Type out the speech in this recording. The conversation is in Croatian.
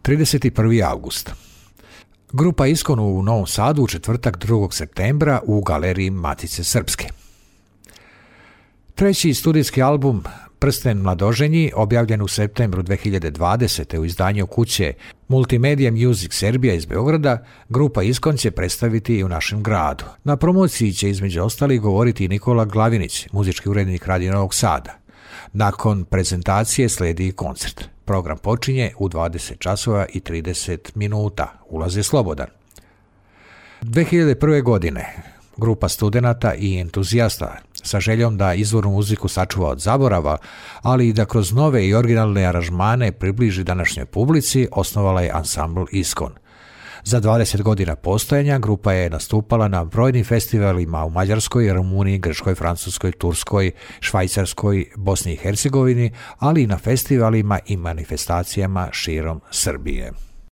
31. august. Grupa Iskon u Novom Sadu u četvrtak 2. septembra u galeriji Matice Srpske. Treći studijski album Prsten mladoženji, objavljen u septembru 2020. u izdanju kuće Multimedia Music Serbia iz Beograda, grupa Iskon će predstaviti i u našem gradu. Na promociji će između ostalih govoriti i Nikola Glavinić, muzički urednik Radio Novog Sada. Nakon prezentacije sledi koncert. Program počinje u 20 časova i 30 minuta. Ulaz je slobodan. 2001. godine grupa studenata i entuzijasta sa željom da izvornu muziku sačuva od zaborava, ali i da kroz nove i originalne aranžmane približi današnjoj publici, osnovala je ansambl Iskon. Za 20 godina postojanja grupa je nastupala na brojnim festivalima u Mađarskoj, Rumuniji, Grčkoj, Francuskoj, Turskoj, Švajcarskoj, Bosni i Hercegovini, ali i na festivalima i manifestacijama širom Srbije.